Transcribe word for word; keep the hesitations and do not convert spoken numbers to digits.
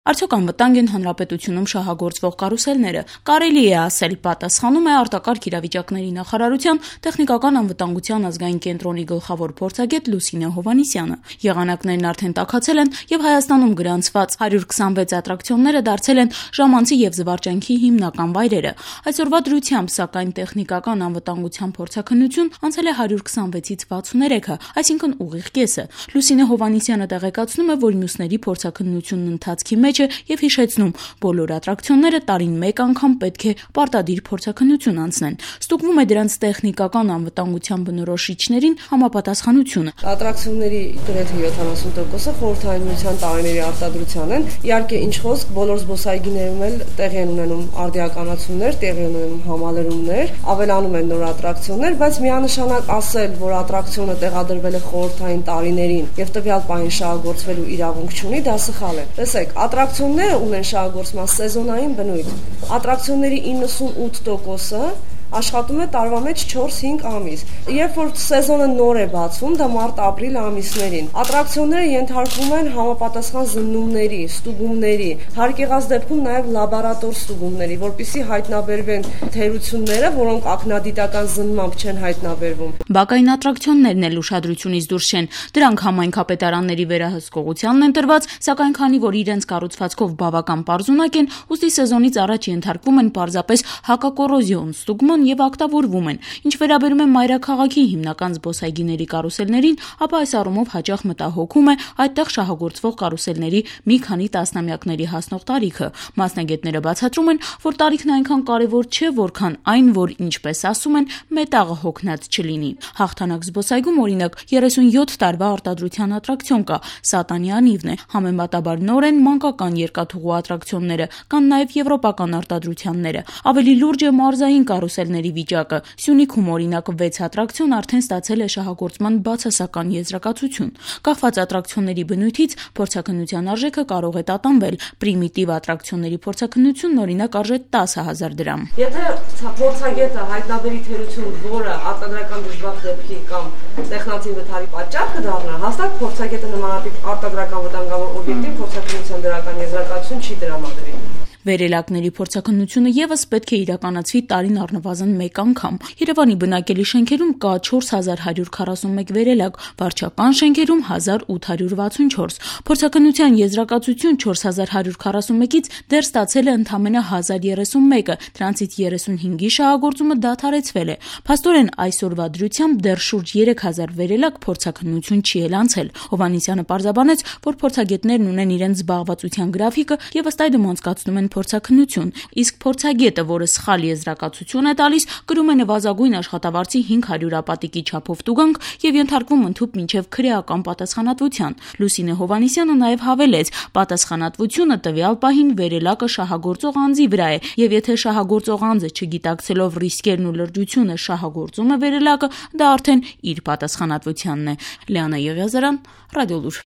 Արդյոք անվտանգ են հանրապետությունում շահագործվող կարուսելները, կարելի է ասել, պատասխանում է արտակարգ իրավիճակների նախարարության տեխնիկական անվտանգության ազգային կենտրոնի գլխավոր փորձագետ Լուսինե Հովհաննիսյանը։ Եղանակներն արդեն տաքացել են եւ Հայաստանում գրանցված հարյուր քսանվեց ատրակցիոնները դարձել են ժամանցի եւ զվարճանքի հիմնական վայրերը։ Այսօրվա դրությամբ, սակայն, տեխնիկական անվտանգության փորձաքննություն անցել է հարյուր քսանվեցից վաթսուներեքը, այսինքն ուղիղ կեսը։ Լուսինե Հովհաննիսյանը տեղեկացնում է, որ մյուսների փորձաքննությունն ընթացքի մեջ եւ հիշեցնում, բոլոր ատրակցիոնները տարին մեկ անգամ պետք է պարտադիր փորձաքննություն անցնեն։ Ստուգվում է դրանց տեխնիկական անվտանգության բնորոշիչներին համապատասխանությունը։ Ատրակցիոնների գրեթե յոթանասուն տոկոսը խորհրդային միության տարիների արտադրության են։ Իհարկե, ինչ խոսք, բոլոր զբոսայգիներում էլ տեղի են ունենում արդիականացումներ, տեղի են ունենում համալրումներ, ավելանում են նոր ատրակցիոններ, բայց միանշանակ ասել, որ ատրակցիոնը տեղադրվել է խորհրդային տարիներին եւ տվյալ պահին շահագործվելու իրավունք չունի, դա սխալ է։ Տեսեք, ատրակցիոնները ունեն շահագործման սեզոնային բնույթ։ Ատրակցիոնների իննսունութ տոկոսը աշխատում է տարվա մեջ չորս-հինգ ամիս։ Երբ որ սեզոնը նոր է բացվում, դա մարտ-ապրիլ ամիսներին, ատրակցիոնները ենթարկվում են համապատասխան զննումների, ստուգումների, հարկ եղած դեպքում նաև լաբորատոր ստուգումների, որպեսզի հայտնաբերվեն թերությունները, որոնք ակնադիտական զննմամբ չեն հայտնաբերվում։ Բակային ատրակցիոններն էլ ուշադրությունից դուրս չեն։ Դրանք համայնքապետարանների վերահսկողությանն են տրված, սակայն քանի որ իրենց կառուցվածքով բավական պարզունակ են, ուստի սեզոնից առաջ ենթարկվում են պարզապես հակակոռոզիոն ստուգման եւ ակտավորվում են։ Ինչ վերաբերում է մայրաքաղաքի հիմնական զբոսայգիների կարուսելներին, ապա այս առումով հաճախ մտահոգում է այդտեղ շահագործվող կարուսելների մի քանի տասնամյակների հասնող տարիքը։ Մասնագետները բացատրում են, որ տարիքն այնքան կարևոր չէ, որքան այն, որ, ինչպես ասում են, մետաղը հոգնած չլինի։ Հաղթանակ զբոսայգում, օրինակ, երեսունյոթ տարվա արտադրության ատրակցիոն կա, Սատանի անիվն է։ Համեմատաբար նոր են մանկական երկաթուղու ատրակցիոնները, կան նաև եվրոպական արտադրությունները։ Ավելի լուրջ է մարզային կարուսելների վիճակը։ Սյունիքում, օրինակ, վեց ատրակցիոն արդեն ստացել է շահագործման բացասական եզրակացություն։ Կախված ատրակցիոնների բնույթից փորձաքննության արժեքը կարող է տատանվել։ Պրիմիտիվ ատրակցիոնների փորձաքննությունն, օրինակ, արժե տասը հազար դրամ։ Եթե փորձագետը հայտնաբերի թերություն, որը արտադրական դժվար դեպքի կամ տեխնացի վթարի պատճառ կդառնա, հաստատ փորձագետը նմանատիպ արտադրական վտանգավոր օբյեկտին փորձաքննության դրական եզրակացություն չի տրամադրի։ Վերելակների փորձաքննությունը եւս պետք է իրականացվի տարին առնվազն մեկ անգամ։ Երևանի բնակելի շենքերում կա չորս հազար հարյուր քառասունմեկ վերելակ, վարչական շենքերում հազար ութ հարյուր վաթսունչորս։ Փորձաքննության եզրակացություն չորս հազար հարյուր քառասունմեկից դեռ ստացել է ընդամենը հազար երեսունմեկը, դրանցից երեսունհինգի շահագործումը դադարեցվել է։ Փաստորեն, այսօրվա դրությամբ դեռ շուրջ երեք հազար վերելակ փորձաքննություն չի էլ անցել։ Հովհաննիսյանը պարզաբանեց, որ փորձագետներն ունեն իրենց զբաղվածության գրաֆիկը եւ ըստ այդմ անցկացնում են փորձաքննություն, իսկ փորձագետը, որը սխալ եզրակացություն է տալիս, կրում է նվազագույն աշխատավարձի հինգ հարյուր ապատիկի չափով տուգանք եւ ենթարկվում ընդհուպ մինչեւ քրեական պատասխանատվության։ Լուսինե Հովհաննիսյանը նաեւ հավելեց, պատասխանատվությունը տվյալ պահին վերելակը շահագործող անձի վրա է, եւ եթե շահագործող անձը չգիտակցելով ռիսկերն ու լրջությունը շահագործում է վերելակը, դա արդեն իր պատասխանատվությանն է։ Լիանա Եղիազարյան, Ռադիոլուր։